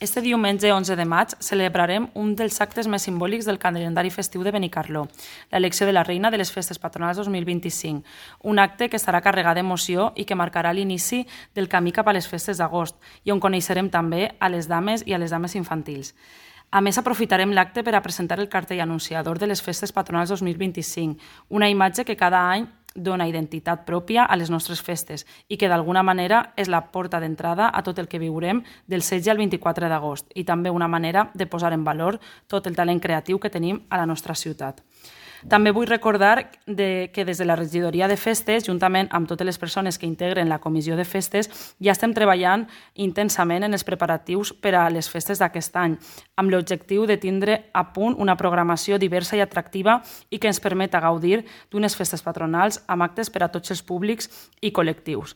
Este diumenge 11 de maig celebrarem un dels actes més simbòlics del calendari festiu de Benicarló, l'elecció de la reina de les festes patronals 2025, un acte que estarà carregat d'emoció i que marcarà l'inici del camí cap a les festes d'agost i on coneixerem també a les dames i a les dames infantils. A més, aprofitarem l'acte per a presentar el cartell anunciador de les festes patronals 2025, una imatge que cada any dona identitat pròpia a les nostres festes i que d'alguna manera és la porta d'entrada a tot el que viurem del 16 al 24 d'agost i també una manera de posar en valor tot el talent creatiu que tenim a la nostra ciutat. També vull recordar que des de la regidoria de festes, juntament amb totes les persones que integren la comissió de festes, ja estem treballant intensament en els preparatius per a les festes d'aquest any, amb l'objectiu de tindre a punt una programació diversa i atractiva i que ens permeta gaudir d'unes festes patronals amb actes per a tots els públics i col·lectius.